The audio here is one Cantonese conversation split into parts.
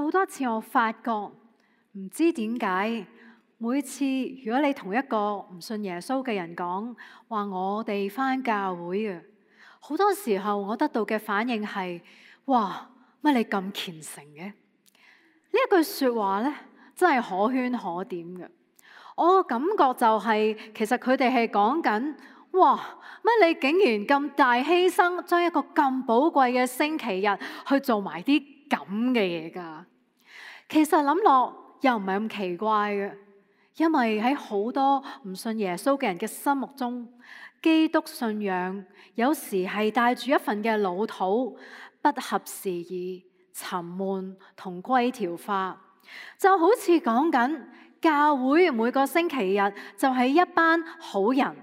好多次我發覺唔知點解，每次如果你同一個唔信耶穌嘅人講話我哋返教會嘅，好多時候我得到嘅反應係：哇，乜你咁虔誠嘅？呢一句説話咧，真係可圈可點嘅。我嘅感覺就係，其實佢哋係講緊：哇，乜你竟然咁大犧牲，將一個咁寶貴嘅星期日去做埋啲咁嘅嘢㗎？其實諗落又唔係咁奇怪嘅，因為喺好多唔信耶穌嘅人嘅心目中，基督信仰有時係帶住一份嘅老土、不合時宜、沉悶同規條化，就好似講緊教會每個星期日就係一班好人，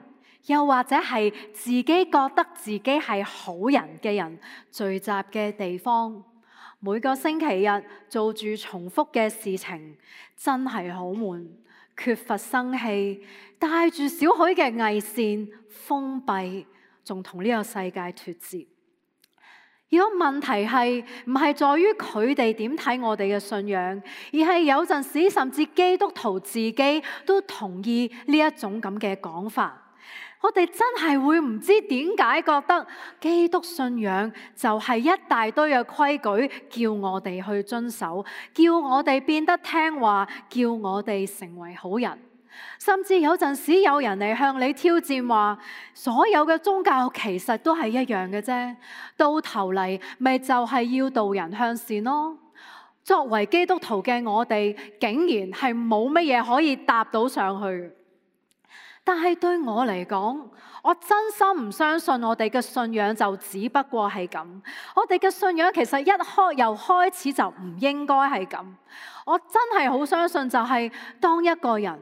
又或者係自己覺得自己係好人嘅人聚集嘅地方。每個星期日做住重複嘅事情，真係好悶，缺乏生氣，帶住少許嘅偽善，封閉，仲同呢個世界脫節。如果問題係唔係在於佢哋點睇我哋嘅信仰，而係有陣時甚至基督徒自己都同意呢一種咁嘅講法。我哋真係會唔知點解覺得基督信仰就係一大堆嘅規矩，叫我哋去遵守，叫我哋變得聽話，叫我哋成為好人。甚至有陣時有人嚟向你挑戰話，所有嘅宗教其實都係一樣嘅啫，到頭嚟咪就係要導人向善咯。作為基督徒嘅我哋，竟然係冇乜嘢可以搭到上去。但係對我嚟講，我真心唔相信我哋嘅信仰就只不過係咁。我哋嘅信仰其實由開始就唔應該係咁。我真係好相信就係當一個人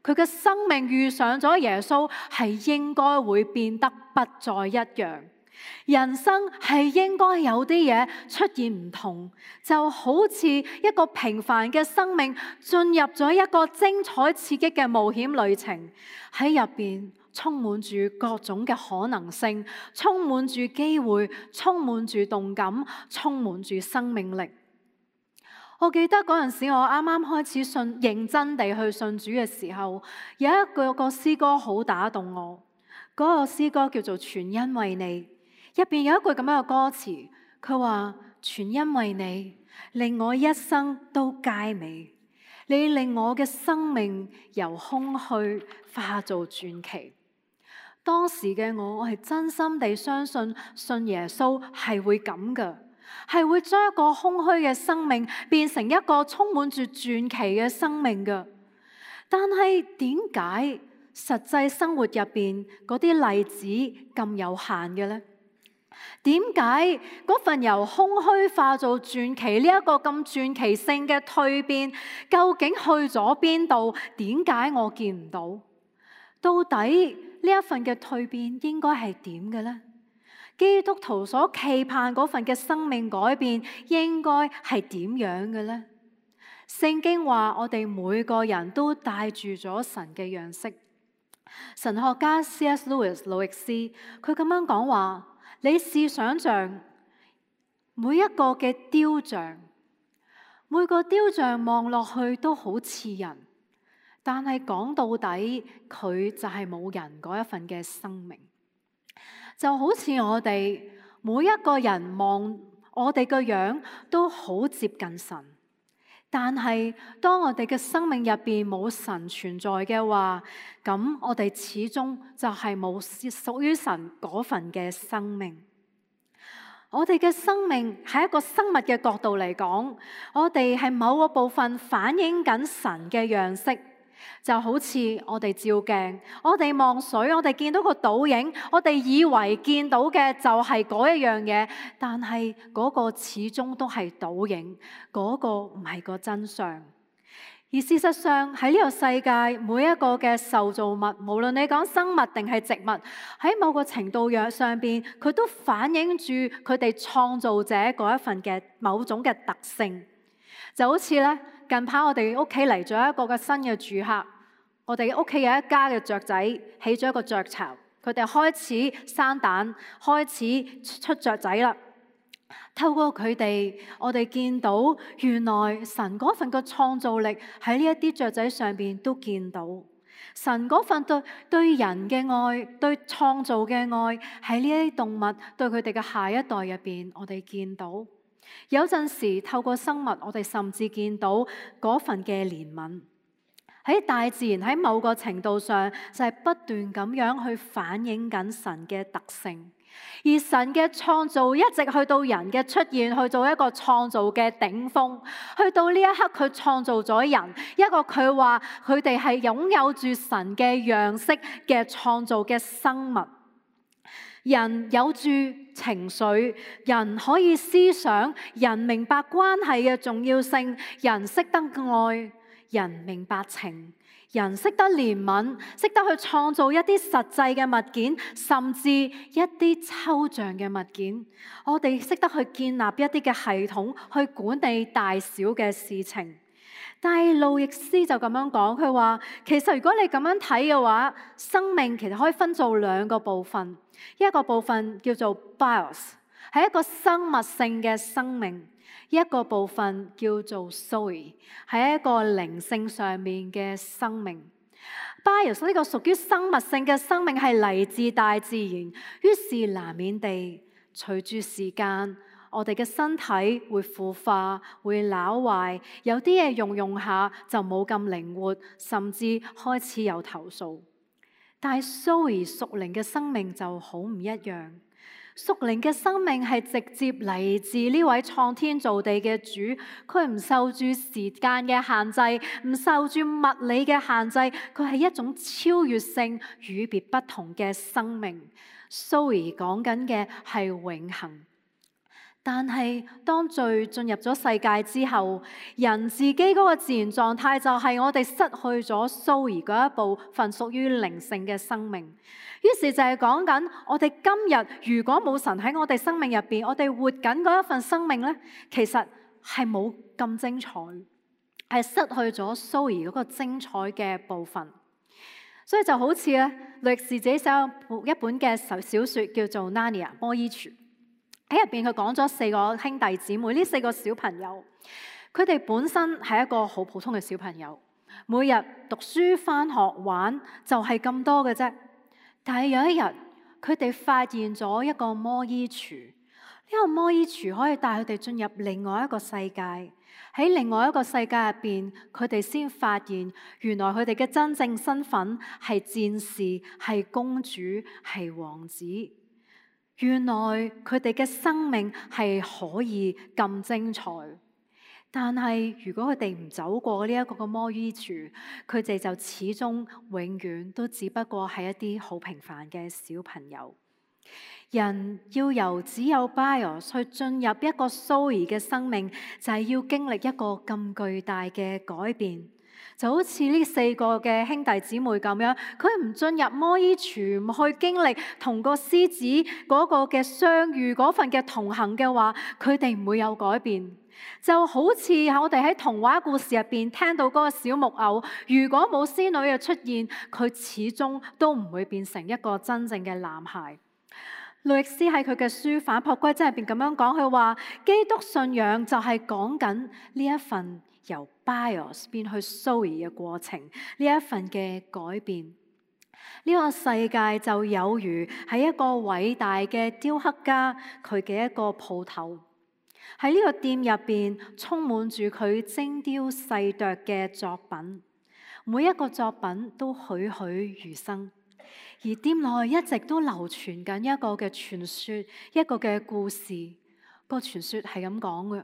佢嘅生命遇上咗耶穌，係應該會變得不再一樣。人生係應該有啲嘢出現唔同，就好似一個平凡嘅生命進入咗一個精彩刺激嘅冒險旅程，喺入邊充滿住各種嘅可能性，充滿住機會，充滿住動感，充滿住生命力。我記得嗰陣時我啱啱開始認真地去信主嘅時候，有一個詩歌好打動我。嗰個詩歌叫做《全因為你》。入邊有一句咁樣嘅歌詞，佢話：全因為你令我一生都佳美，你令我嘅生命由空虛化做傳奇。當時嘅我係真心地相信信耶穌係會咁㗎，係會將一個空虛嘅生命變成一個充滿住傳奇嘅生命㗎。但係點解實際生活入邊嗰啲例子咁有限嘅呢？點解嗰份由空虛化做傳奇呢一個咁傳奇性嘅蛻變，究竟去咗邊度？點解我見唔到？到底呢一份嘅蛻變應該係點嘅呢？基督徒所期盼嗰份嘅生命改變應該係點樣嘅呢？聖經話我哋每個人都帶住咗神嘅樣式。神學家 C.S. Lewis 魯易斯佢咁樣講話：你試想像每一個嘅雕像，每個雕像望落去都好似人，但係講到底佢就係冇人嗰一份嘅生命。就好似我哋每一個人望我哋個樣都好接近神，但係當我哋嘅生命入邊冇神存在嘅話，咁我哋始終就係冇屬於神嗰份嘅生命。我哋嘅生命喺一個生物嘅角度嚟講，我哋係某個部分反映緊神嘅樣式。就好似我哋照鏡，我哋望水，我哋見到個倒影，我哋以為見到嘅就係嗰一樣嘢，但係嗰個始終都係倒影，嗰個唔係個真相。而事實上喺呢個世界，每一個嘅受造物，無論你講生物定係植物，喺某個程度上邊，佢都反映住佢哋創造者嗰一份嘅某種嘅特性。就好似咧，近排我哋屋企嚟咗一個嘅新嘅住客，我哋屋企有一家嘅雀仔起咗一個雀巢，佢哋開始生蛋，開始出雀仔啦。透過佢哋，我哋見到原來神嗰份嘅創造力喺呢一啲雀仔上邊都見到。神嗰份對人嘅愛，對創造嘅愛，喺呢啲動物對佢哋嘅下一代入邊，我哋見到。有陣時透過生物，我哋甚至見到嗰份嘅憐憫。喺大自然喺某個程度上，就係不斷咁樣去反映緊神嘅特性。而神嘅創造一直去到人嘅出現，去做一個創造嘅頂峰，去到呢一刻佢創造咗人，一個佢話佢哋係擁有住神嘅樣式嘅創造嘅生物。人有住情緒，人可以思想，人明白關係嘅重要性，人識得愛，人明白情。人識得憐憫，識得去創造一啲實際嘅物件，甚至一啲抽象嘅物件。我哋識得去建立一啲嘅系統，去管理大小嘅事情。但係路易斯就咁樣講，佢話其實如果你咁樣睇嘅話，生命其實可以分做兩個部分，一個部分叫做 bios， 係一個生物性嘅生命。一個部分叫做 Zoe， 係一個靈性上面嘅生命。Bios 呢個屬於生物性嘅生命係嚟自大自然，於是難免地隨住時間，我哋嘅身體會腐化、會朽壞，有啲嘢用下就冇咁靈活，甚至開始有投訴。但係 Zoe 屬靈嘅生命就好唔一樣。屬靈嘅生命係直接嚟自呢位創天造地嘅主，佢唔受住時間嘅限制，唔受住物理嘅限制，佢係一種超越性、與別不同嘅生命。Zoe 講緊嘅係永恆。但係當罪進入咗世界之後，人自己嗰個自然狀態就係我哋失去咗 Zoe 嗰一部分屬於靈性嘅生命。於是就係講緊我哋今日如果冇神喺我哋生命入邊，我哋活緊嗰一份生命呢，其實係冇咁精彩，係失去咗 Zoe 嗰個精彩嘅部分。所以就好似咧，律士自己寫一本嘅小說叫做《Narnia 魔衣櫥》。喺入邊佢講咗4個兄弟姊妹，呢4個小朋友，佢哋本身係一個好普通嘅小朋友，每日讀書、返學、玩就係咁多嘅啫。但係有一日，佢哋發現咗一個魔衣櫥，呢個魔衣櫥可以帶佢哋進入另外一個世界。喺另外一個世界入邊，佢哋先發現原來佢哋嘅真正身份係戰士、係公主、係王子。原來佢哋嘅生命係可以咁精彩，但係如果佢哋唔走過呢一個嘅魔衣櫥，佢哋就始終永遠都只不過係一啲好平凡嘅小朋友。人要由只有 Bios 去進入一個 Zoe 嘅生命，就係要經歷一個咁巨大嘅改變。就好似呢4個嘅兄弟姊妹咁樣，佢唔進入魔衣櫥，唔去經歷同個獅子嗰個嘅相遇，嗰份嘅同行嘅話，佢哋唔會有改變。就好似我哋喺童話故事入邊聽到嗰個小木偶，如果冇仙女嘅出現，佢始終都唔會變成一個真正嘅男孩。路易斯喺佢嘅書《反璞歸真》入邊咁樣講，佢話基督信仰就係講緊呢一份由 Bios 變去 Zoe 嘅過程，呢一份嘅改變。呢個世界就有如係一個偉大嘅雕刻家，佢嘅一個鋪頭。喺呢個店入邊充滿住佢精雕細琢嘅作品，每一個作品都栩栩如生。而店內一直都流傳緊一個嘅傳說，一個嘅故事。個傳說係咁講嘅，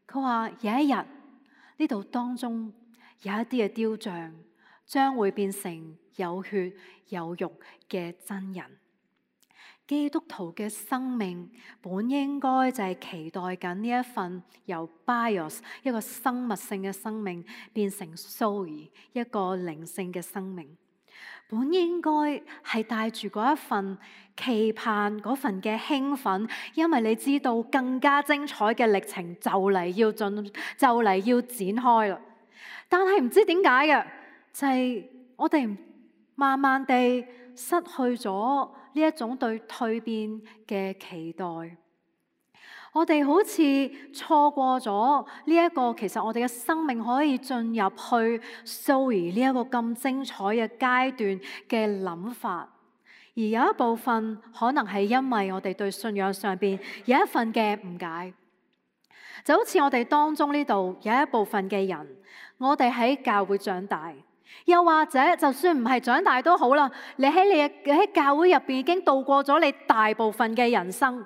佢話有一日呢度當中有一啲嘅雕像將會變成有血有肉嘅真人。基督徒嘅生命本應該就係期待緊呢一份由 Bios 一個生物性嘅生命變成 Zoe 一個靈性嘅生命。本應該係帶住嗰一份期盼，嗰份嘅興奮，因為你知道更加精彩嘅歷程就嚟要展開啦。但係唔知點解嘅，就係我哋慢慢地失去咗呢一種對蛻變嘅期待。我哋好似錯過咗呢一個，其實我哋嘅生命可以進入去 Zoe 呢一個咁精彩嘅階段嘅諗法。而有一部分可能係因為我哋對信仰上邊有一份嘅誤解，就好似我哋當中呢度有一部分嘅人，我哋喺教會長大，又或者就算唔係長大都好啦，你喺教會入邊已經度過咗你大部分嘅人生，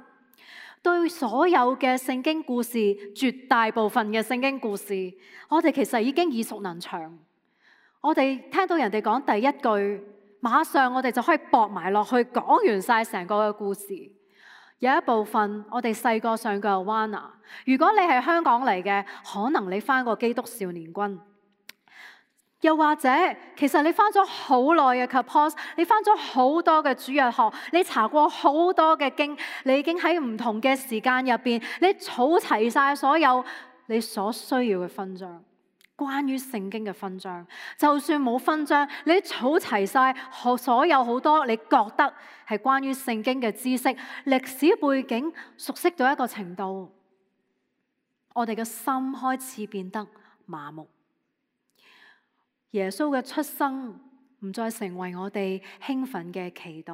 對所有嘅聖經故事，絕大部分嘅聖經故事，我哋其實已經耳熟能詳。我哋聽到人哋講第一句，馬上我哋就可以駁埋落去，講完晒成個嘅故事。有一部分我哋細個上過 Awana， 如果你係香港嚟嘅，可能你返過基督少年軍，又或者其實你返咗好耐嘅 Kapos， 你返咗好多嘅主日學，你查過好多嘅經，你已經喺唔同嘅時間入邊，你儲齊晒所有你所需要嘅分章。關於聖經嘅分章，就算冇分章，你儲齊晒所有好多你覺得係關於聖經嘅知識、歷史背景，熟悉到一個程度，我哋嘅心開始變得麻木。耶穌嘅出生唔再成為我哋興奮嘅期待，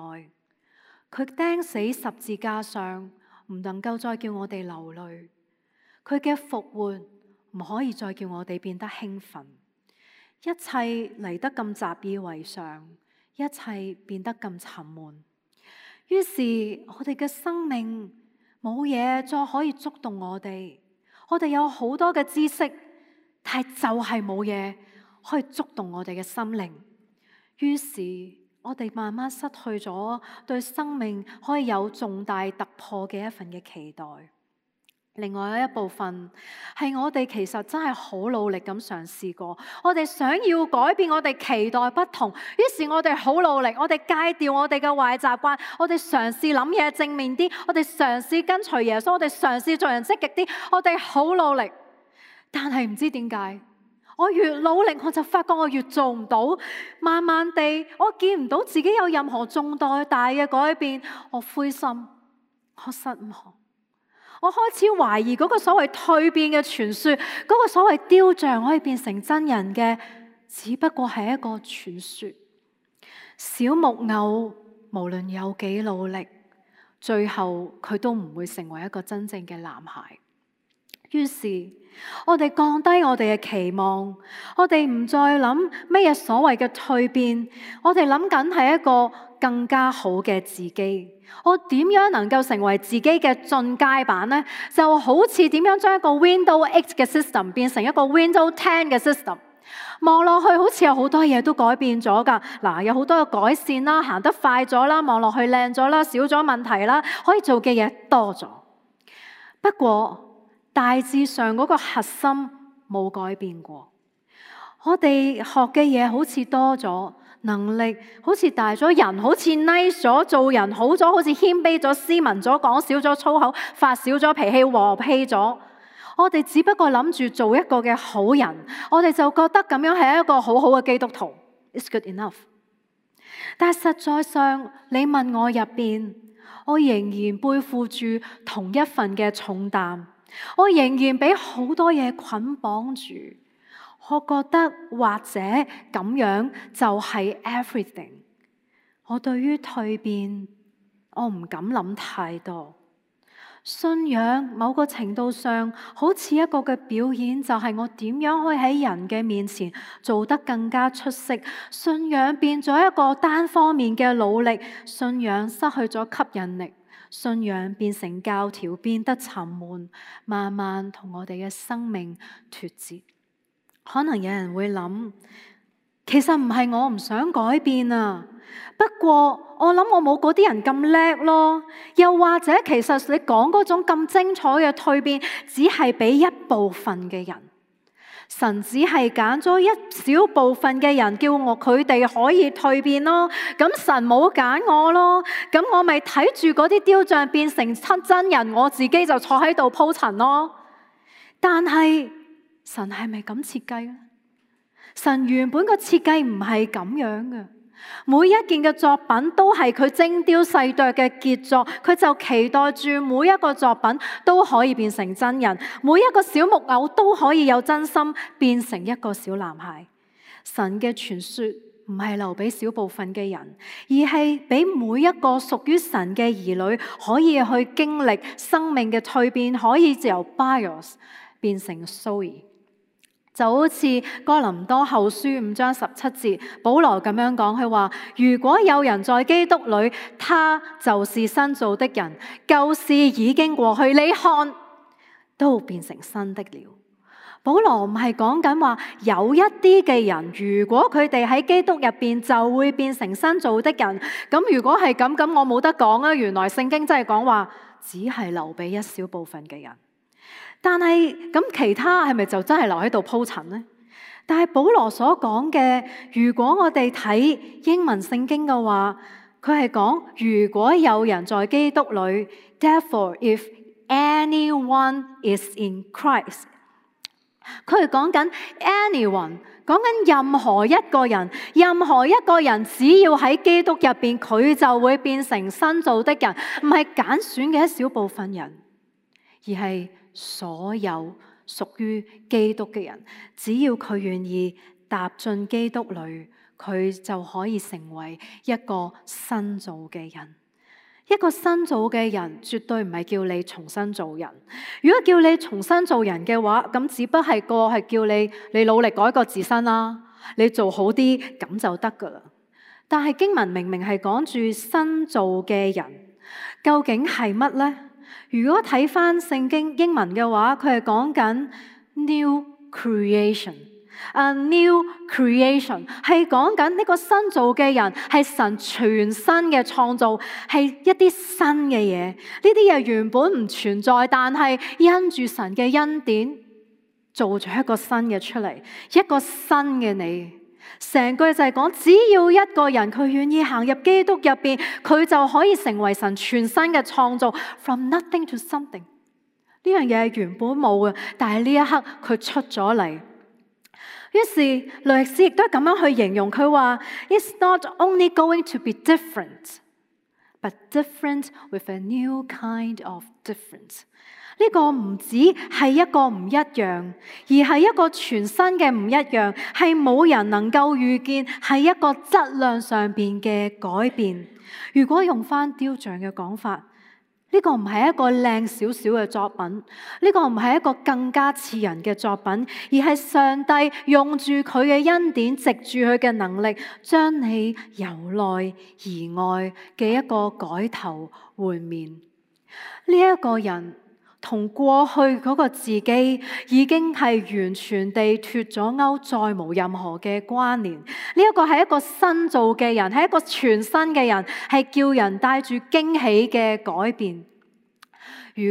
佢釘死十字架上唔能夠再叫我哋流淚，佢嘅復活唔可以再叫我哋變得興奮，一切嚟得咁習以為常，一切變得咁沉悶。於是我哋嘅生命冇嘢再可以觸動我哋，我哋有好多嘅知識，但係就係冇嘢可以觸動我哋嘅心靈。於是我哋慢慢失去咗對生命可以有重大突破嘅一份嘅期待。另外一部分係我哋其實真係好努力咁嘗試過，我哋想要改變，我哋期待不同，於是我哋好努力，我哋戒掉我哋嘅壞習慣，我哋嘗試諗嘢正面啲，我哋嘗試跟隨耶穌，我哋嘗試做人積極啲，我哋好努力，但係唔知點解，我越努力我就發覺我越做唔到，慢慢地我見唔到自己有任何重大嘅改變，我灰心，我失望。我開始懷疑嗰個所謂蛻變嘅傳說，嗰個所謂雕像可以變成真人嘅，只不過係一個傳說。小木偶無論有幾努力，最後佢都唔會成為一個真正嘅男孩。於是我哋降低我哋嘅期望，我哋唔再諗咩嘢所謂嘅蛻變，我哋諗緊係一個更加好嘅自己。我點樣能夠成為自己嘅進階版呢？就好似點樣將一個 Windows 8嘅 system 變成一個 Windows 10嘅 system， 望落去好似有好多嘢都改變咗㗎。嗱，有好多嘅改善啦，行得快咗啦，望落去靚咗啦，少咗問題啦，可以做嘅嘢多咗。不過大致上嗰個核心冇改變過，我哋學嘅嘢好似多咗，能力好似大咗，人好似 nice 咗，做人好咗，好似謙卑咗，斯文咗，講少咗粗口，發少咗脾氣，和氣咗。我哋只不過諗住做一個嘅好人，我哋就覺得咁樣係一個好好嘅基督徒 ，It's good enough。但係實在上，你問我入邊，我仍然背負住同一份嘅重擔，我仍然俾好多嘢捆綁住。我覺得或者咁樣就係 everything。我對於蛻變，我唔敢諗太多。信仰某個程度上好似一個嘅表演，就係我點樣可以喺人嘅面前做得更加出色。信仰變咗一個單方面嘅努力，信仰失去咗吸引力，信仰變成教條，變得沉悶，慢慢同我哋嘅生命脫節。可能有人會諗，其實唔係我唔想改變啊，不過我諗我冇嗰啲人咁叻咯。又或者其實你講嗰種咁精彩嘅蛻變，只係俾一部分嘅人，神只係揀咗一小部分嘅人，叫佢哋可以蛻變咯。咁神冇揀我咯，咁我咪睇住嗰啲雕像變成真人，我自己就坐喺度鋪陳咯。但係神係咪咁設計咧？神原本個設計唔係咁樣嘅。每一件嘅作品都係佢精雕細琢嘅傑作，佢就期待住每一個作品都可以變成真人，每一個小木偶都可以有真心變成一個小男孩。神嘅傳說唔係留俾少部分嘅人，而係俾每一個屬於神嘅兒女可以去經歷生命嘅蛻變，可以由 Bios 變成 Zoe。就好似哥林多後書5章17節，保羅咁樣講，佢話：如果有人在基督裏，他就是新造的人，舊事已經過去，你看，都變成新的了。保羅唔係講緊話有一啲嘅人，如果佢哋喺基督入邊就會變成新造的人。咁如果係咁，咁我冇得講啊！原來聖經真係講話，只係留俾一小部分嘅人。但係咁其他係咪就真係留喺度鋪陳呢？但係保羅所講嘅，如果我哋睇英文聖經嘅話，佢係講如果有人在基督裏 ，therefore if anyone is in Christ， 佢係講緊 anyone， 講緊任何一個人，任何一個人只要喺基督入邊，佢就會變成新造的人，唔係揀選嘅一小部分人，而係所有屬於基督嘅人，只要佢願意踏進基督裏，佢就可以成為一個新造嘅人。一個新造嘅人絕對唔係叫你重新做人。如果叫你重新做人嘅話，咁只不過係叫你努力改過自身啦，你做好啲咁就得噶啦。但係經文明明係講住新造嘅人，究竟係乜呢？如果睇返聖經英文嘅話，佢係講緊 new creation。new creation 係講緊呢個新造嘅人係神全新嘅創造，係一啲新嘅嘢。呢啲嘢原本唔存在，但係因住神嘅恩典做咗一個新嘅出嚟，一個新嘅你。成句就係講，只要一個人佢願意行入基督入邊，佢就可以成為神全新嘅創造。From nothing to something， 呢樣嘢係原本冇嘅，但係呢一刻佢出咗嚟。於是律師亦都咁樣去形容佢話 ，It's not only going to be different, but different with a new kind of difference。呢個唔止係一個唔一樣，而係一個全新嘅唔一樣，係冇人能夠預見，係一個質量上邊嘅改變。如果用翻雕像嘅講法，呢個唔係一個靚少少嘅作品，呢個唔係一個更加似人嘅作品，而係上帝用住佢嘅恩典，藉住佢嘅能力，將你由內而外嘅一個改頭換面。呢一個人同過去嗰個自己已經係完全地脫咗鈎，再無任何嘅關聯。呢一個係一個新造嘅人，係一個全新嘅人，係叫人帶住驚喜嘅改變。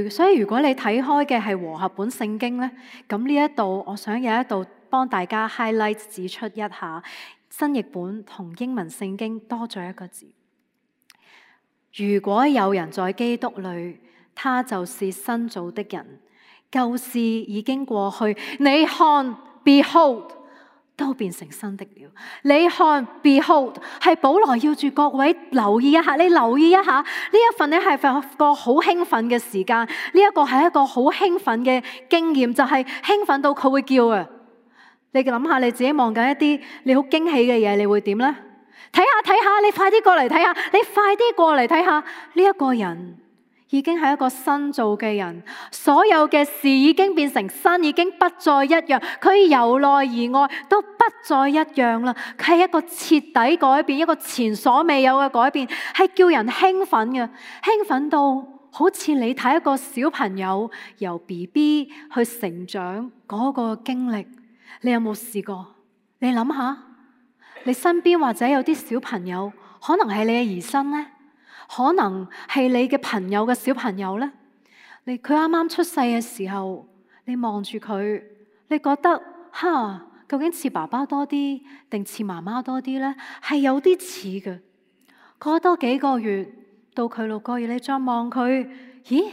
所以如果你睇開嘅係和合本聖經呢，咁呢一度我想有一度幫大家 highlight 指出一下，新譯本同英文聖經多咗一個字。如果有人在基督裏，他就是新造的人，舊事已經過去，你看 ，behold， 都變成新的了。你看 ，behold， 係保羅要住各位留意一下，你留意一下呢一份咧係一個好興奮嘅時間，呢一個係一個好興奮嘅經驗，就係興奮到佢會叫啊！你諗下你自己望緊一啲你好驚喜嘅嘢，你會點呢？睇下，你快啲過嚟睇下，你快啲過嚟睇下呢一個人。已經係一個新造嘅人，所有嘅事已經變成新，已經不再一樣。佢由內而外都不再一樣啦。佢係一個徹底改變，一個前所未有嘅改變，係叫人興奮嘅，興奮到好似你睇一個小朋友由 BB 去成長嗰個經歷。你有冇試過？你諗下，你身邊或者有啲小朋友，可能係你嘅兒孫呢？可能係你嘅朋友嘅小朋友呢？佢啱啱出世嘅時候，你望住佢，你覺得究竟似爸爸多啲定似媽媽多啲呢？係有啲似嘅。過多幾個月到佢6個月，你再望佢，咦？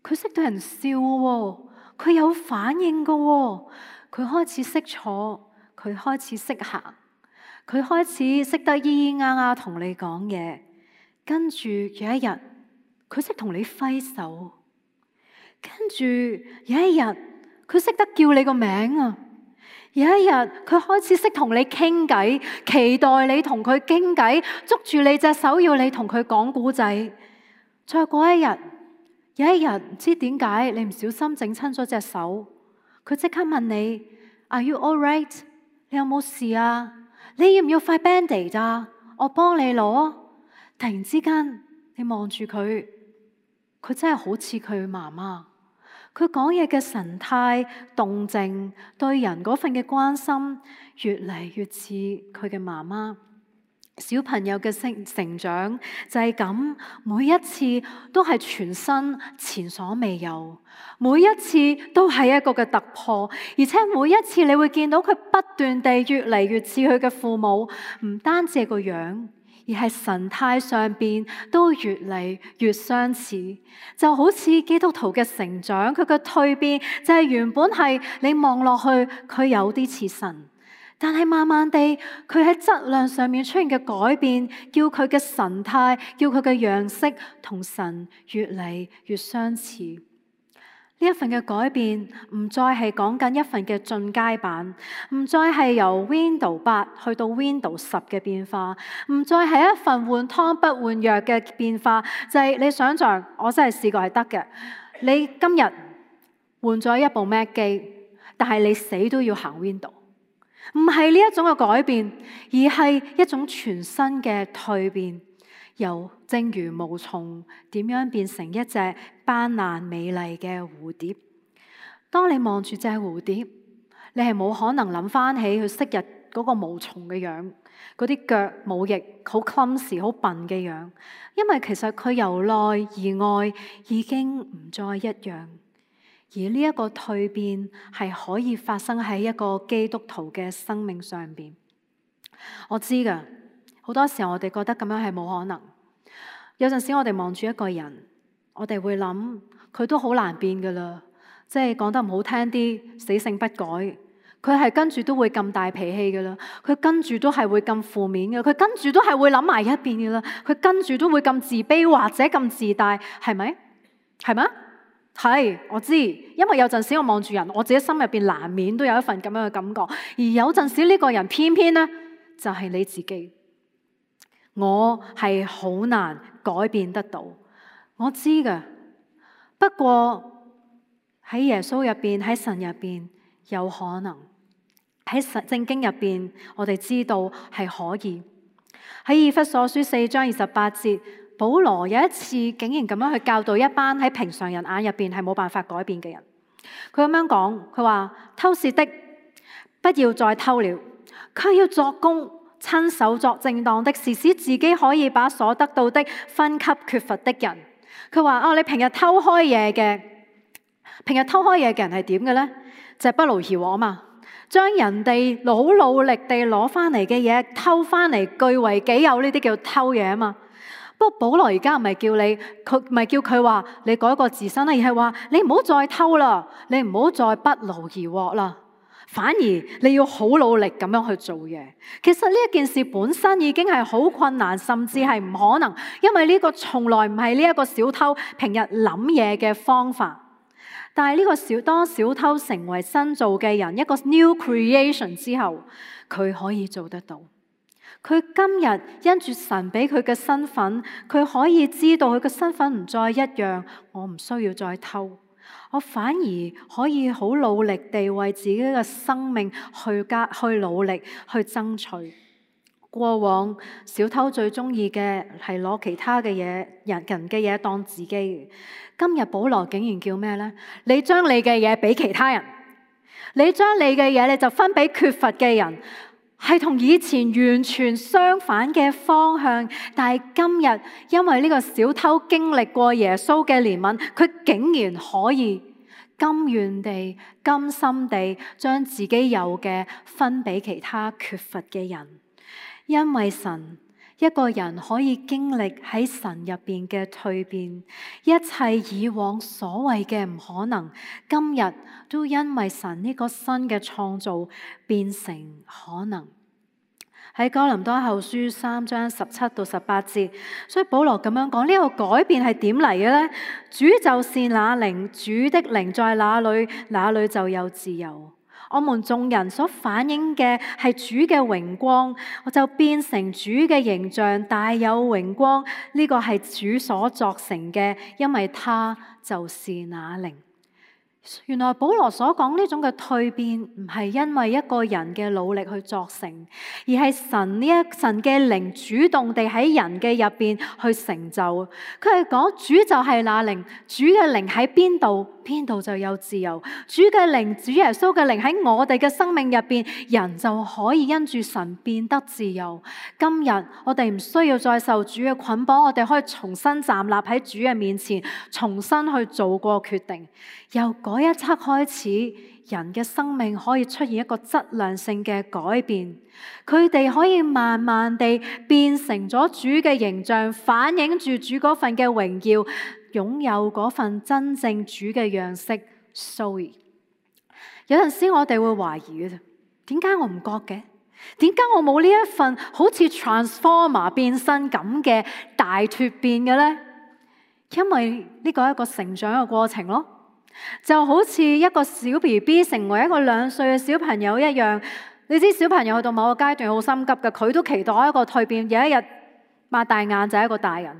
佢識對人笑喎，佢有反應嘅喎，佢開始識坐，佢開始識行。佢開始識得咿咿呀呀同你講嘢，跟住有一日佢識同你揮手，跟住有一日佢識得叫你個名啊！有一日佢開始識同你傾偈，期待你同佢傾偈，捉住你隻手要你同佢講故仔。再過一日，有一日唔知點解你唔小心整親咗隻手，佢即刻問你 Are you all right？ 你有冇事啊？你要唔要塊 Band-Aid 啊？我幫你攞。突然之間你望住佢，佢真係好似佢媽媽，佢講嘢嘅神態動靜，對人嗰份嘅關心越嚟越似佢嘅媽媽。小朋友嘅成長就係咁，每一次都係全新前所未有，每一次都係一個嘅突破，而且每一次你會見到佢不斷地越嚟越似佢嘅父母，唔單止係個樣，而係神態上邊都越嚟越相似。就好似基督徒嘅成長，佢嘅蛻變就係原本係你望落去佢有啲似神，但係慢慢地，佢喺質量上面出現嘅改變，叫佢嘅神態，叫佢嘅樣式同神越嚟越相似。呢一份嘅改變，唔再係講緊一份嘅進階版，唔再係由 Windows 8去到 Windows 10嘅變化，唔再係一份換湯不換藥嘅變化。就係你想象，我真係試過係得嘅。你今日換咗一部 Mac 機，但係你死都要行 Windows。唔係呢一種嘅改變，而係一種全新嘅蛻變，由正如毛蟲點樣變成一隻斑斕美麗嘅蝴蝶。當你望住隻蝴蝶，你係冇可能諗翻起佢昔日嗰個毛蟲嘅樣，嗰啲腳冇翼、好 clumsy、好笨嘅樣，因為其實佢由內而外已經唔再一樣。而呢一個蛻變係可以發生喺一個基督徒嘅生命上邊。我知㗎，好多時候我哋覺得咁樣係冇可能。有陣時我哋望住一個人，我哋會諗佢都好難變㗎啦，即係講得唔好聽啲，死性不改。佢係跟住都會咁大脾氣㗎啦，佢跟住都係會咁負面嘅，佢跟住都係會諗埋一邊㗎啦，佢跟住都會咁自卑或者咁自大，係咪？係咪？係，我知，因為有陣時我望住人，我自己心入邊難免都有一份咁樣嘅感覺。而有陣時呢個人偏偏呢，就係你自己，我係好難改變得到，我知㗎。不過喺耶穌入邊，喺神入邊有可能，喺聖經入邊我哋知道係可以。喺以弗所書4章28節。保羅有一次竟然咁樣去教導一班喺平常人眼入邊係冇辦法改變嘅人。佢咁樣講，佢話偷竊的不要再偷了，佢要作工，親手作正當的事，使自己可以把所得到的分給缺乏的人。佢話你平日偷開嘢嘅人係點嘅呢？就係不勞而獲嘛，將人哋好努力地攞翻嚟嘅嘢偷翻嚟據為己有，呢啲叫偷嘢啊嘛。不過保羅而家唔係叫你，佢唔係叫佢話你改過自身啦，而係話你唔好再偷啦，你唔好再不勞而獲啦，反而你要好努力咁樣去做嘢。其實呢一件事本身已經係好困難，甚至係唔可能，因為呢個從來唔係呢一個小偷平日諗嘢嘅方法。但係呢個當小偷成為新造嘅人，一個 new creation 之後，佢可以做得到。佢今日因住神俾佢嘅身份，佢可以知道佢嘅身份唔再一樣，我唔需要再偷，我反而可以好努力地為自己嘅生命去努力去爭取。過往小偷最中意嘅係攞其他嘅嘢、人嘅嘢當自己嘅。今日保羅竟然叫咩呢？你將你嘅嘢俾其他人，你將你嘅嘢你就分俾缺乏嘅人。係同以前完全相反嘅方向，但係今日因為呢個小偷經歷過耶穌嘅憐憫，佢竟然可以甘願地、甘心地將自己有嘅分俾其他缺乏嘅人。因為神，一個人可以經歷喺神入邊嘅蛻變，一切以往所謂嘅唔可能，今日都因為神呢個新嘅創造變成可能。喺哥林多後書3章17到18節，所以保羅咁樣講，呢個改變係點嚟嘅呢？主就是那靈，主的靈在哪裏，哪裏就有自由。我們眾人所反映嘅係主嘅榮光，我就變成主嘅形象，大有榮光。呢個係主所作成嘅，因為他就是那靈。原來保羅所講呢種嘅蛻變，唔係因為一個人嘅努力去作成，而係神嘅靈主動地喺人嘅入邊去成就。佢係講主就係那靈，主嘅靈喺邊度，邊度就有自由。主嘅靈，主耶穌嘅靈喺我哋嘅生命入邊，人就可以因住神變得自由。今日我哋唔需要再受主嘅捆綁，我哋可以重新站立喺主嘅面前，重新去做過決定。由嗰一刻開始，人嘅生命可以出現一個質量性嘅改變，佢哋可以慢慢地變成咗主嘅形象，反映住主嗰份嘅榮耀，擁有嗰份真正主嘅樣式。Zoe， 有陣時我哋會懷疑嘅，點解我唔覺嘅？點解我冇呢一份好似 Transformer 變身咁嘅大蛻變嘅呢？因為呢個係一個成長嘅過程咯。就好似一個小 BB 成為一個2歲嘅小朋友一樣，你知小朋友去到某個階段好心急嘅，佢都期待一個蛻變，有一日擘大眼就係一個大人。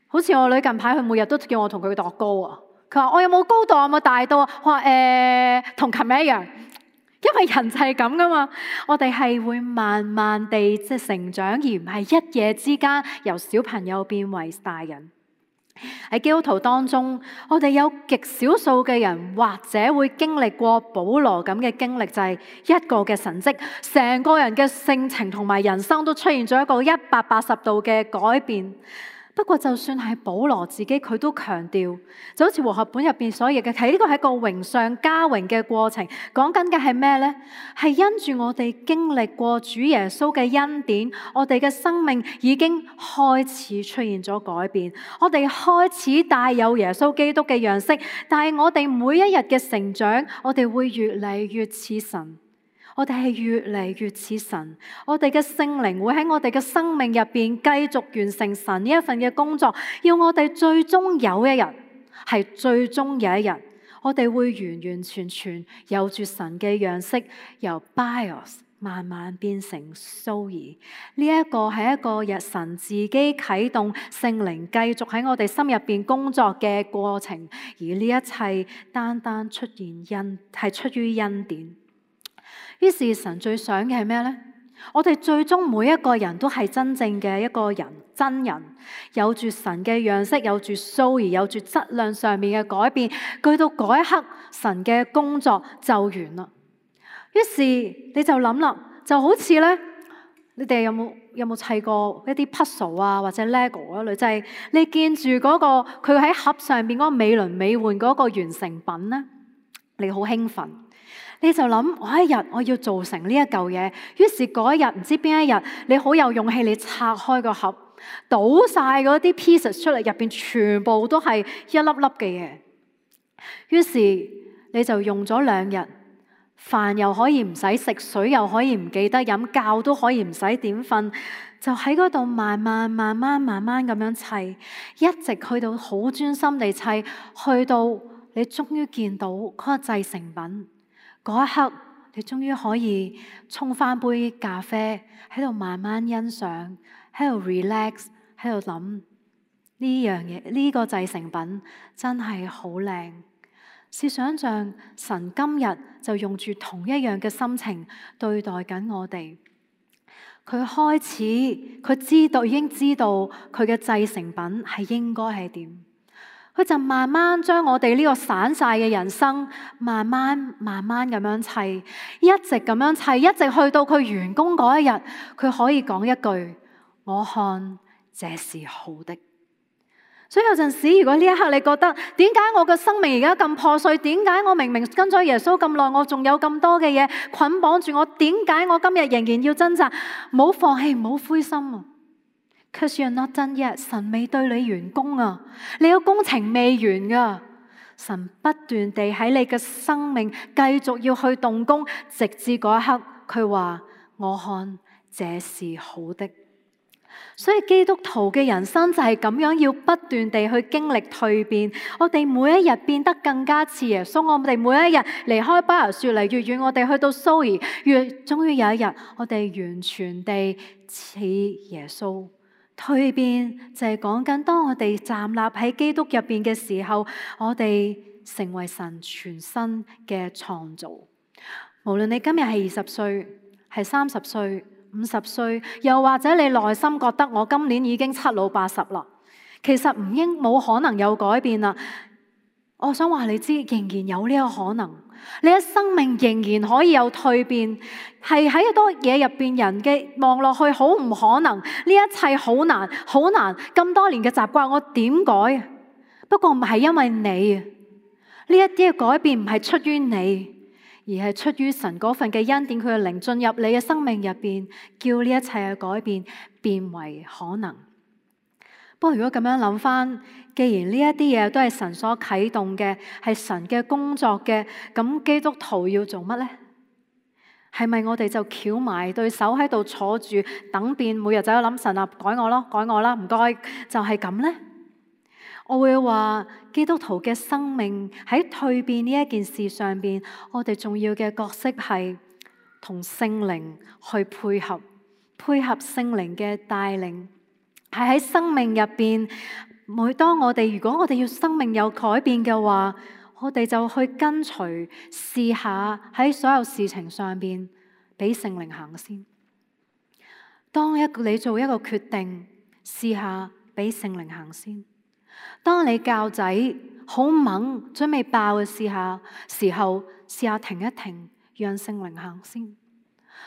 好似我女近排佢每日都叫我同佢度高啊，佢話我有冇高度啊，有冇大到啊？我話同琴日一樣，因為人就係咁噶嘛，我哋係會慢慢地成長，而唔係一夜之間由小朋友變為大人。喺基督徒當中，我哋有極少數嘅人或者會經歷過保羅咁嘅經歷，就係一個嘅神蹟，成個人嘅性情同埋人生都出現咗一個180度嘅改變。不過就算係保羅自己，佢都強調，就好似和合本入邊所譯嘅，睇呢個係一個榮上加榮嘅過程。講緊嘅係咩呢？係因住我哋經歷過主耶穌嘅恩典，我哋嘅生命已經開始出現咗改變。我哋開始帶有耶穌基督嘅樣式，但係我哋每一日嘅成長，我哋會越嚟越似神。我哋係越嚟越似神，我哋嘅聖靈會喺我哋嘅生命入邊繼續完成神呢一份嘅工作，要我哋最終有一日，係最終有一日，我哋會完完全全有住神嘅樣式，由 Bios 慢慢變成 Zoe。呢一個係一個神自己啟動聖靈繼續喺我哋心入邊工作嘅過程，而呢一切單單出於恩典。於是神最想嘅係咩呢？我哋最終每一個人都係真正嘅一個人，真人，有住神嘅樣式，有住 Zoe，有住質量上面嘅改變。去到嗰一刻，神嘅工作就完啦。於是你就諗啦，就好似咧，你哋有冇砌過一啲 puzzle 啊，或者 Lego 嗰類，就係你見住嗰個佢喺盒上邊嗰個美輪美奐嗰個完成品咧，你好興奮。你就諗我一日我要做成呢一嚿嘢，於是嗰一日唔知邊一日，你好有勇氣，你拆開個盒，倒晒嗰啲 pieces 出嚟，入邊全部都係一粒粒嘅嘢。於是你就用咗2日，飯又可以唔使食，水又可以唔記得飲，覺都可以唔使點瞓，就喺嗰度慢慢咁樣砌，一直去到好專心地砌，去到你終於見到嗰個製成品。嗰一刻，你終於可以沖翻杯咖啡，喺度慢慢欣賞，喺度 relax， 喺度諗呢樣嘢，呢個製成品真係好靚。試想像神今日就用住同一樣嘅心情對待緊我哋。佢開始，佢已經知道佢嘅製成品係應該係點。佢就慢慢將我哋呢個散晒嘅人生，慢慢咁樣砌，一直咁樣砌，一直去到佢完工嗰一日，佢可以講一句：我看這是好的。所以有陣時，如果呢一刻你覺得點解我嘅生命而家咁破碎？點解我明明跟咗耶穌咁耐，我仲有咁多嘅嘢捆綁住我？點解我今日仍然要掙扎？唔好放棄，唔好灰心啊！Cause you're not done yet， 神未對你完工啊，你個工程未完噶。神不斷地喺你嘅生命繼續要去動工，直至嗰一刻，佢話：我看這是好的。所以基督徒嘅人生就係咁樣，要不斷地去經歷蛻變。我哋每一日變得更加似耶穌，我哋每一日離開巴黎越嚟越遠，我哋去到蘇爾，終於有一日我哋完全地似耶穌。蛻變就係講緊當我哋站立喺基督入邊嘅時候，我哋成為神全新嘅創造。無論你今日係20歲，係30歲、50歲，又或者你內心覺得我今年已經7老80啦，其實冇可能有改變啦。我想話你知，仍然有呢個可能，你嘅生命仍然可以有蛻變，係喺好多嘢入邊人嘅望落去好唔可能，呢一切好難好難，咁多年嘅習慣我點改？不過唔係因為你，呢一啲嘅改變唔係出於你，而係出於神嗰份嘅恩典，佢嘅靈進入你嘅生命入邊，叫呢一切嘅改變變為可能。不過如果咁樣諗翻，既然呢一啲嘢都係神所啟動嘅，係神嘅工作嘅，咁基督徒要做乜呢？係咪我哋就翹埋對手喺度坐住等變，每日就喺度諗神啊，改我咯，改我啦，唔該，就係咁呢？我會話基督徒嘅生命喺蛻變呢一件事上邊，我哋重要嘅角色係同聖靈去配合聖靈嘅帶領，係喺生命入邊。每當如果我哋要生命有改變嘅話，我哋就去跟隨，試下喺所有事情上邊俾聖靈行先。當你做一個決定，試下俾聖靈行先。當你教仔好猛準備爆嘅時候，試下停一停，讓聖靈行先。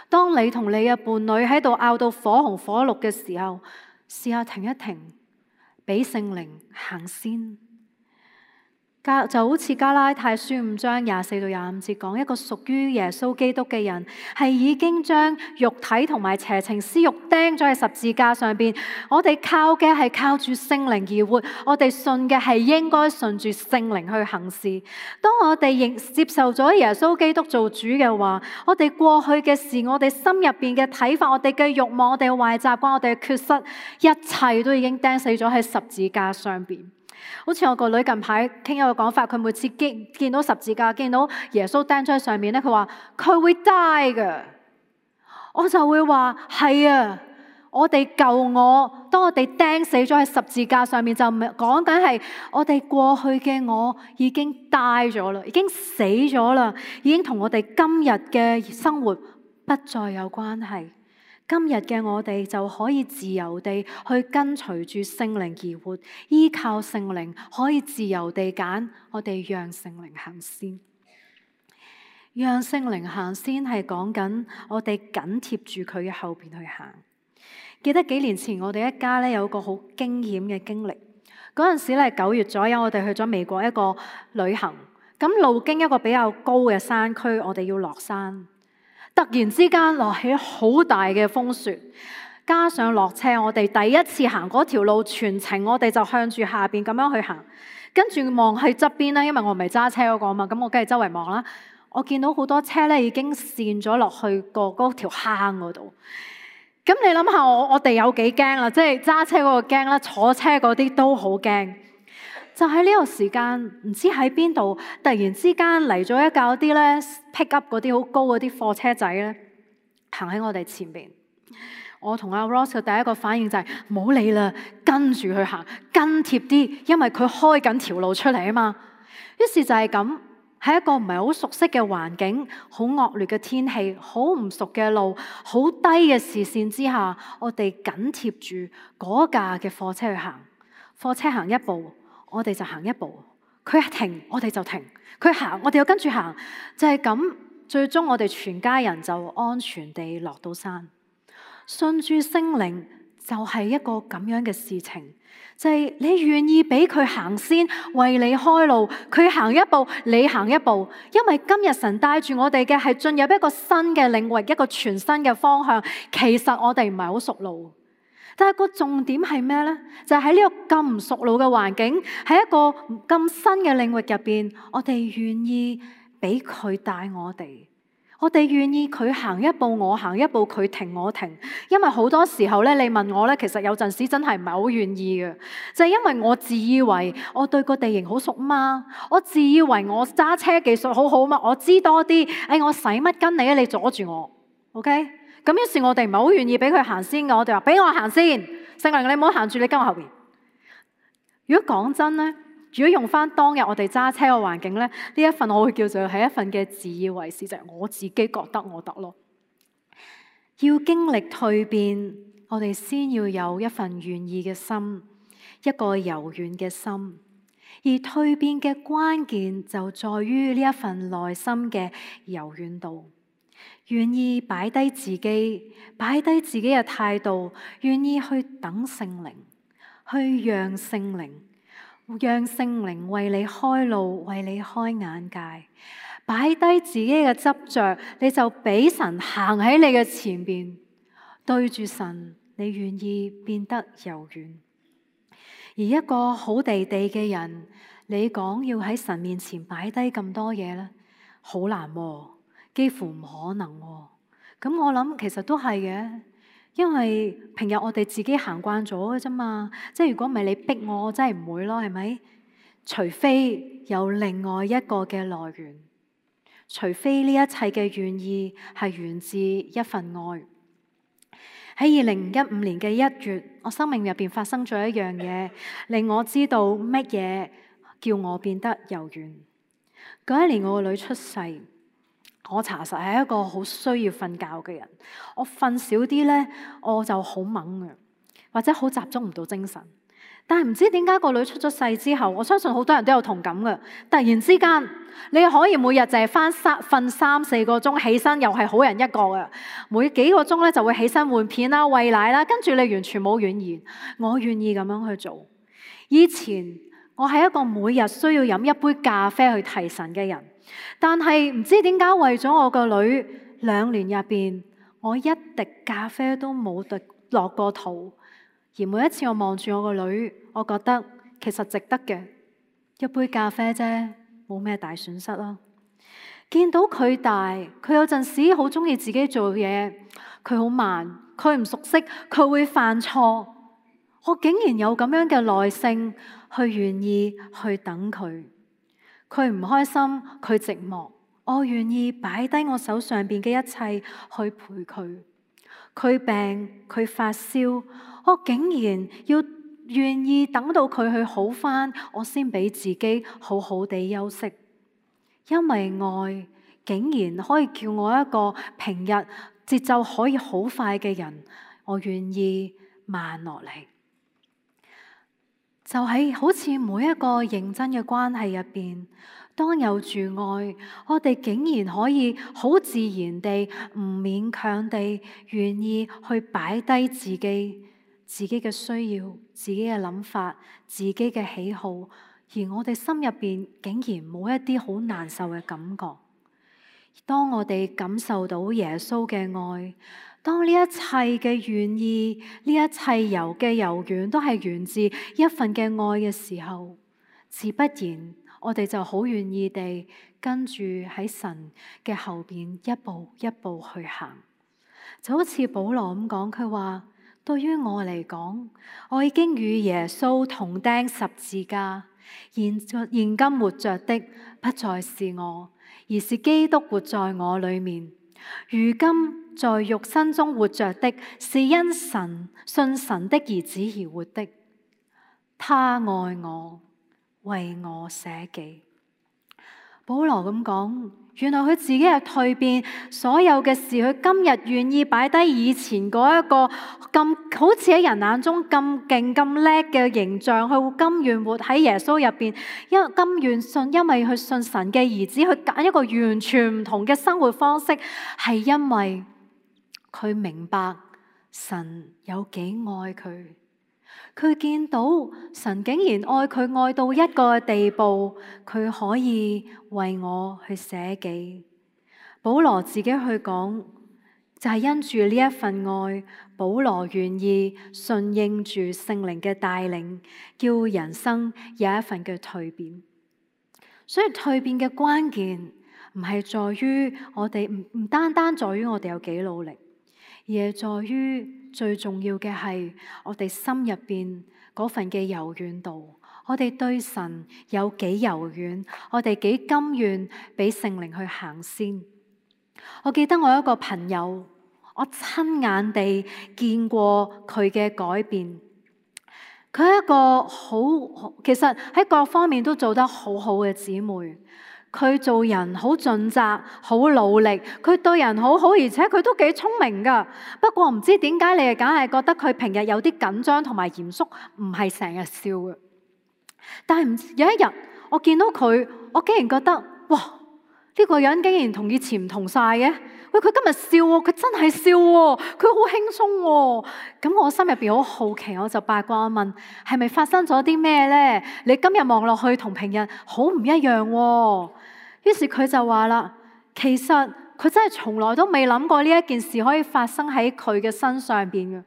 當你同你嘅伴侶喺度拗到火紅火綠嘅時候，試下停一停，俾聖靈行先。就好似加拉太書5章24到25節講，一個屬於耶穌基督嘅人係已經將肉體同埋邪情私欲釘咗喺十字架上邊。我哋靠嘅係靠住聖靈而活，我哋信嘅係應該順住聖靈去行事。當我哋接受咗耶穌基督做主嘅話，我哋過去嘅事，我哋心入邊嘅睇法，我哋嘅慾望，我哋嘅壞習慣，我哋嘅缺失，一切都已經釘死咗喺十字架上邊。好似我個女近排傾一個講法，佢每次見到十字架，見到耶穌釘咗喺上面咧，佢話佢會 die 㗎。我就會話係啊，我哋舊我，當我哋釘死咗喺十字架上面，就講緊係我哋過去嘅我已經 die 咗啦，已經死咗啦，已經同我哋今日嘅生活不再有關係。今日嘅我哋就可以自由地去跟隨住聖靈而活，依靠聖靈可以自由地揀，我哋讓聖靈行先。讓聖靈行先係講緊我哋緊貼住佢嘅後邊去行。記得幾年前我哋一家有個好驚險嘅經歷，嗰陣時9月左右，我哋去咗美國一個旅行，咁路經一個比較高嘅山區，我哋要落山。突然之間落起好大嘅風雪，加上落車，我哋第一次行嗰條路，全程我哋就向住下邊咁樣去行，跟住望去側邊啦，因為我唔係揸車嗰個嘛，咁我梗係周圍望啦。我見到好多車已經跣咗落去嗰條坑嗰度。咁你諗下，我哋有幾驚啦？即係揸車嗰個驚啦，坐車嗰啲都好驚。就喺呢個時間，唔知喺邊度，突然之間嚟咗一架啲咧 pick up 嗰啲好高嗰啲貨車仔咧，行喺我哋前邊。我同阿 Ross 嘅第一個反應就係唔好理啦，跟住去行，跟貼啲，因為佢開緊條路出嚟啊嘛。於是就係咁，喺一個唔係好熟悉嘅環境、好惡劣嘅天氣、好唔熟嘅路、好低嘅視線之下，我哋緊貼住嗰架嘅貨車去行。貨車行一步，我哋就行一步，佢一停我哋就停，佢行我哋又跟住行，就係咁，最終我哋全家人就安全地落到山。信住聖靈就係一個咁樣嘅事情，就係你願意俾佢行先，為你開路，佢行一步你行一步，因為今日神帶住我哋嘅係進入一個新嘅領域，一個全新嘅方向。其實我哋唔係好熟路，但係個重點係咩呢？就係喺呢個咁唔熟路嘅環境，喺一個咁新嘅領域入邊，我哋願意俾佢帶我哋，我哋願意佢行一步我行一步，佢停我停。因為好多時候咧，你問我咧，其實有陣時真係唔係好願意嘅，就係因為我自以為我對個地形好熟嘛，我自以為我揸車技術好好嘛，我知多啲。我使乜跟你啊？你阻住我，OK？咁於是我哋唔係好願意俾佢行先嘅，我哋話俾我行先，聖靈你唔好行住，你跟我後邊。如果講真咧，如果用翻當日我哋揸車嘅環境咧，呢一份我會叫做係一份嘅自以為是，就係我自己覺得我得咯。要經歷蛻變，我哋先要有一份願意嘅心，一個柔軟嘅心。而蛻變嘅關鍵就在於呢一份內心嘅柔軟度，願意擺低自己，擺低自己嘅態度，願意去等聖靈，去讓聖靈為你開路，為你開眼界，擺低自己嘅執着，你就俾神行喺你嘅前邊，對住神，你願意變得柔軟。而一個好地地嘅人，你講要喺神面前擺低咁多嘢咧，好難喎，幾乎唔可能喎。咁我諗其實都係嘅。因為平日我哋自己行慣咗嘅啫嘛，即係如果唔係你逼我，我真係唔會咯，係咪？除非有另外一個嘅來源，除非呢一切嘅願意係源自一份愛。喺2015年嘅1月，我生命入邊發生咗一樣嘢，令我知道乜嘢叫我變得柔軟。嗰一年我個女出世。我查實係一個好需要瞓覺嘅人，我瞓少啲咧，我就好猛嘅，或者好集中唔到精神。但係唔知點解個女出咗世之後，我相信好多人都有同感嘅。突然之間，你可以每日就係瞓3-4個鐘，起身又係好人一個嘅，每幾個鐘咧就會起身換片啦、餵奶啦，跟住你完全冇怨言。我願意咁樣去做。以前我係一個每日需要飲一杯咖啡去提神嘅人。但係唔知點解為咗我個女，2年入邊，我一滴咖啡都冇落過肚。而每一次我望住我個女，我覺得其實值得嘅，一杯咖啡啫，冇咩大損失啦。見到佢大，佢有陣時好中意自己做嘢，佢好慢，佢唔熟悉，佢會犯錯。我竟然有咁樣嘅耐性去願意去等佢。佢唔開心，佢寂寞，我願意擺低我手上邊嘅一切去陪佢。佢病，佢發燒，我竟然要願意等到佢去好返，我先俾自己好好地休息。因為愛竟然可以叫我一個平日節奏可以好快嘅人，我願意慢落嚟。就喺好似每一個認真嘅關係入邊，當有住愛，我哋竟然可以好自然地、唔勉強地願意去擺低自己嘅需要、自己嘅諗法、自己嘅喜好，而我哋心入邊竟然冇一啲好難受嘅感覺。當我哋感受到耶穌嘅愛，當呢一切嘅願意，呢一切柔軟都係源自一份嘅愛嘅時候，自不然我哋就好願意地跟住喺神嘅後邊一步一步去行。就好似保羅咁講，佢話對於我嚟講，我已經與耶穌同釘十字架，現今活着的不再是我，而是基督活在我裏面。如今在肉身中活着的，是因信神的兒子而活的。他愛我，為我捨己。保羅咁講，原來佢自己嘅蛻變，所有嘅事，佢今日願意擺低以前嗰一個咁好似喺人眼中咁勁咁叻嘅形象，佢甘願活喺耶穌入邊，甘願信，因為佢信神嘅兒子，去揀一個完全唔同嘅生活方式，係因為佢明白神有幾愛佢。佢見到神竟然愛佢愛到一個地步，佢可以為我去捨己。保羅自己去講，就係因住呢一份愛，保羅願意順應住聖靈嘅帶領，叫人生有一份嘅蛻變。所以蛻變嘅關鍵唔係在於我哋唔單單在於我哋有幾努力，而係在於最重要嘅係我哋心入邊嗰份嘅柔軟度。我哋對神有幾柔軟，我哋幾甘願俾聖靈去行先。我記得我有一個朋友，我親眼地見過佢嘅改變。佢係一個其實喺各方面都做得好好嘅姊妹。佢做人好盡責，好努力。佢對人好好，而且佢都幾聰明㗎。不過唔知點解你係梗係覺得佢平日有啲緊張同埋嚴肅，唔係成日笑嘅。但係有一日我見到佢，我竟然覺得哇！呢個人竟然同以前唔同晒嘅。喂，佢今日笑喎，佢真係笑喎，佢好輕鬆喎。咁我心入邊好好奇，我就八卦問：係咪發生咗啲咩呢？你今日望落去同平日好唔一樣喎。於是佢就話啦，其實佢真係從來都未諗過呢一件事可以發生喺佢嘅身上邊嘅。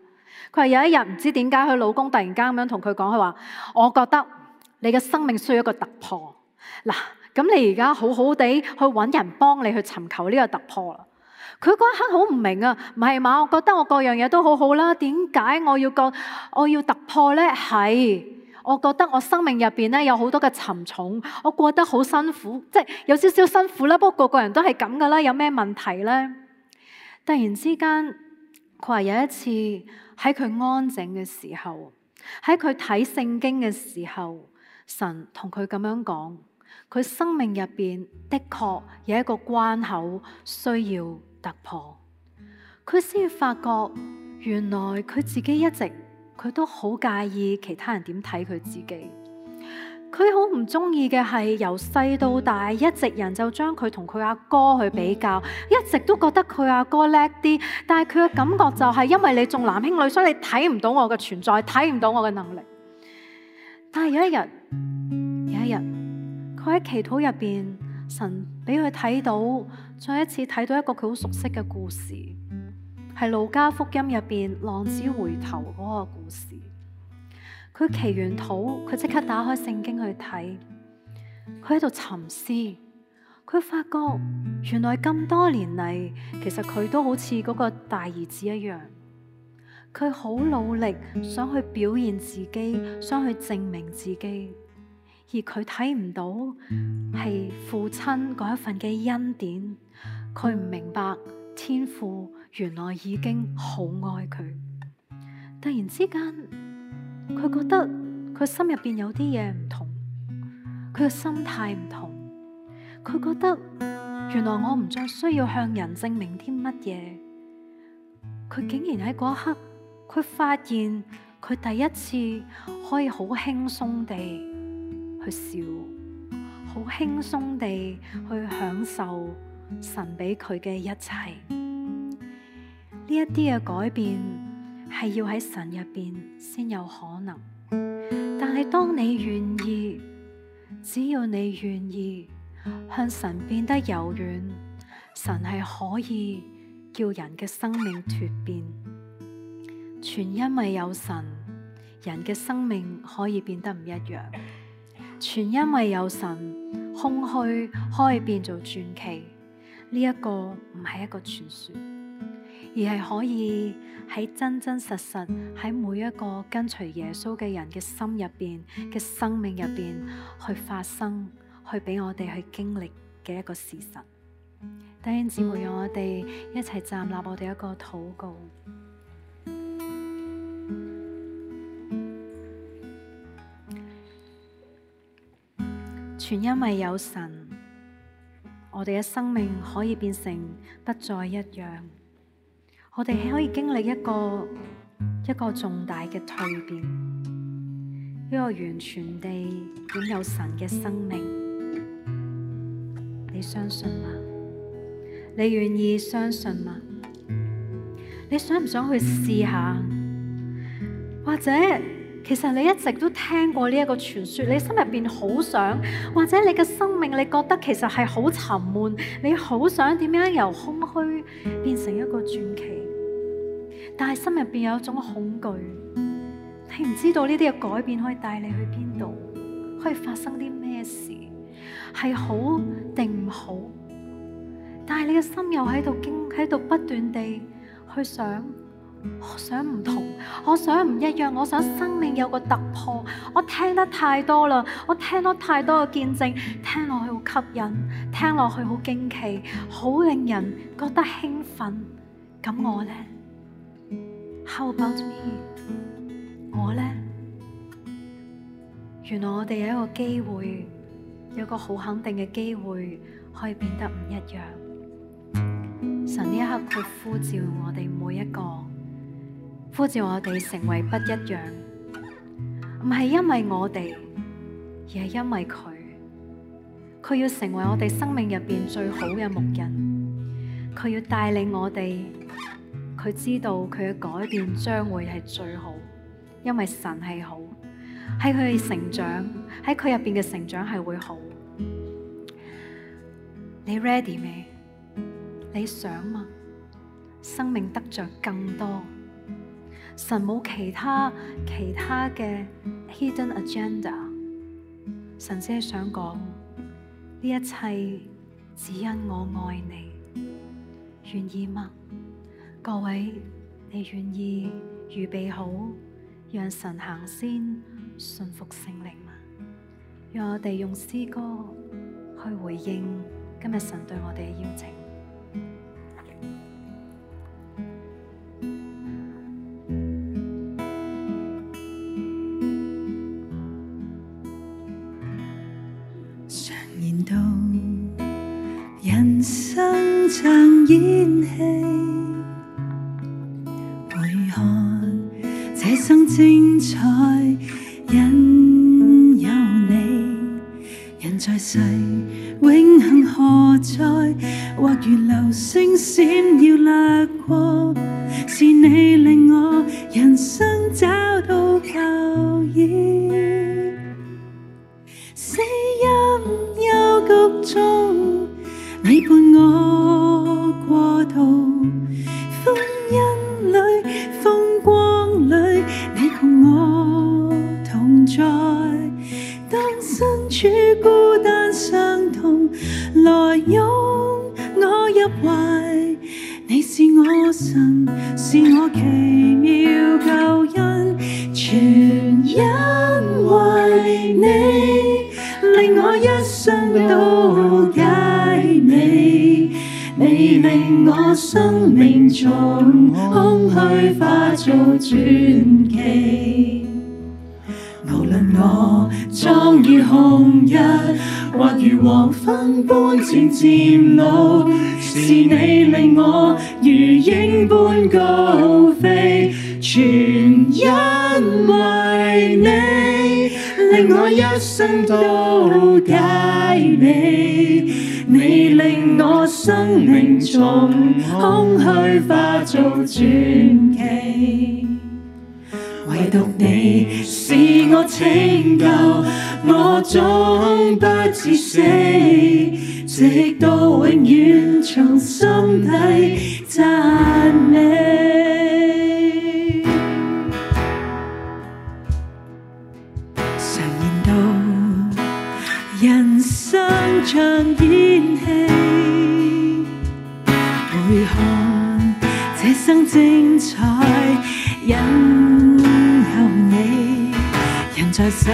佢話有一日唔知點解佢老公突然間咁樣同佢講，佢話：我覺得你嘅生命需要一個突破。嗱，咁你而家好好地去揾人幫你去尋求呢個突破啦。佢嗰一刻好唔明啊，唔係嘛？我覺得我各樣嘢都好好啦，點解我要突破呢？係，我覺得我生命入邊咧有好多嘅沉重，我過得好辛苦，即係有少少辛苦啦。不過個個人都係咁噶啦，有咩問題呢？突然之間，佢話有一次喺佢安靜嘅時候，喺佢睇聖經嘅時候，神同佢咁樣講，佢生命入邊的確有一個關口需要突破。佢先發覺原來佢自己一直佢都好介意其他人點睇佢自己。佢好唔中意嘅係由細到大一直人就將佢同佢阿哥去比較，一直都覺得佢阿哥叻啲，但係佢嘅感覺就係因為你重男輕女，所以你睇唔到我嘅存在，睇唔到我嘅能力。但係有一日佢喺祈禱入邊，神俾佢睇到，再一次睇到一個佢好熟悉嘅故事，係路加福音入邊浪子回頭嗰個故事。佢祈完禱，佢即刻打開聖經去睇，佢喺度沉思，佢發覺原來咁多年嚟，其實佢都好似嗰個大兒子一樣，佢好努力想去表現自己，想去證明自己，而佢睇唔到係父親嗰一份嘅恩典，佢唔明白天父原來已經好愛佢。突然之間，佢覺得佢心入邊有啲嘢唔同，佢嘅心態唔同，佢覺得原來我唔再需要向人證明啲乜嘢。佢竟然喺嗰一刻，佢發現佢第一次可以好輕鬆地去笑，好輕鬆地去享受神俾佢嘅一切。呢一啲嘅改變係要喺神入邊先有可能，但係當你願意，只要你願意向神變得柔軟，神係可以叫人嘅生命蛻變。全因為有神，人嘅生命可以變得唔一樣。全因為有神，空虛可以變做傳奇。呢一個唔係一個傳說，而係可以喺真真實實喺每一個跟隨耶穌嘅人嘅心入邊嘅生命入邊去發生，去俾我哋去經歷嘅一個事實。弟兄姊妹，讓我哋一齊站立，我哋一個禱告。全因為有神，我哋嘅生命可以變成不再一樣。我哋可以經歷一個重大嘅蛻變，一個完全地擁有神嘅生命。你相信嗎？你願意相信嗎？你想唔想去試下？或者其實你一直都聽過呢一個傳說，你心入邊好想，或者你嘅生命你覺得其實係好沉悶，你好想點樣由空虛變成一個傳奇，但係心入邊有一種恐懼，你唔知道呢啲嘅改變可以帶你去邊度，可以發生啲咩事，係好定唔好，但係你嘅心又喺度不斷地去想，我想唔同，我想唔一樣，我想生命有個突破。我聽得太多啦，我聽到太多嘅見證，聽落去好吸引，聽落去好驚奇，好令人覺得興奮。咁我呢？ How about me？ 我呢？原來我哋有一個機會，有個好肯定嘅機會，可以變得唔一樣。神呢一刻佢呼召我哋每一個，呼召我哋成為不一樣，唔係因為我哋，而係因為佢。佢要成為我哋生命入邊最好嘅牧人，佢要帶領我哋。佢知道佢嘅改變將會係最好，因為神係好，喺佢嘅成長，喺佢入邊嘅成長係會好。你 ready 未？你想嗎？生命得着更多，神冇其他嘅 hidden agenda， 神只係想講呢一切只因我愛你，願意嗎？各位，你願意預備好讓神行先，順服聖靈嗎？讓我哋用詩歌去回應今日神對我哋嘅邀請。常言道，人生像演戲。這生精彩，因有你。人在世，永恆何在？或如流星閃耀掠過，是你令我人生找到靠依。死蔭幽谷中，你伴我過渡，歡欣裏，風光裏，你共我同在。當身處孤單傷痛，來擁我入懷。你是我神，是我奇妙救恩，全因為你，令我一生都佳美。你令我生命從空虛化做傳奇。無論我壯如紅日，或如黃昏般漸漸老，是你令我如鷹般高飛，全因為你，令我一生都佳美。你令我生命從空虛化做傳奇，唯獨你是我拯救，我終不致死，直到永遠從心底讚美。常言道，人生像演戲，回看這生精彩，因有你。人在世，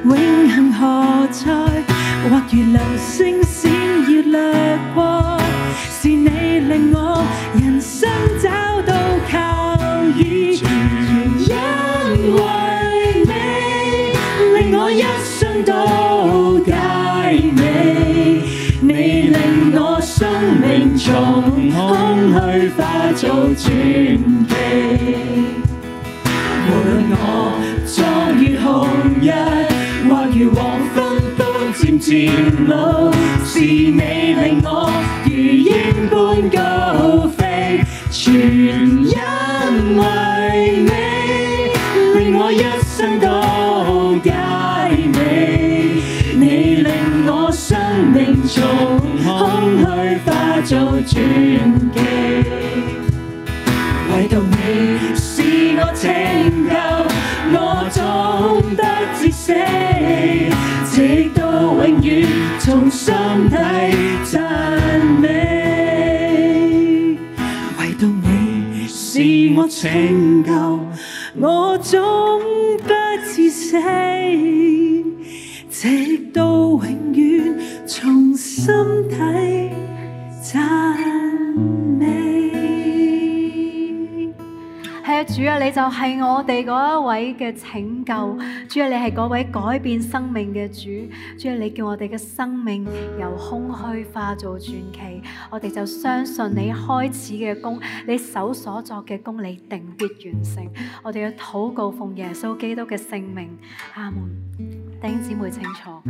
永恆何在？或如流星閃耀掠過，是你令我人生找到靠依。因為你，令我一生都佳美。你令我生命從空虛化做傳奇。無論我壯如紅日，或如黃昏般漸漸老，是你令我如鷹般高飛，全因為你，令我一生都佳美。你令我生命從空虛化做傳奇，唯獨你是我拯救，我終不致死，直到永遠從心底讚美。是我拯救，我終不至死，直到永遠從心底讚美。係啊，主啊，你就係我哋嗰一位嘅拯救，主啊，你係嗰位改變生命嘅主，主啊，你叫我哋嘅生命由空虛化做傳奇，我哋就相信你開始嘅工，你手所作嘅工，你定必完成。我哋嘅禱告奉耶穌基督嘅聖名，阿門。弟兄姊妹請坐。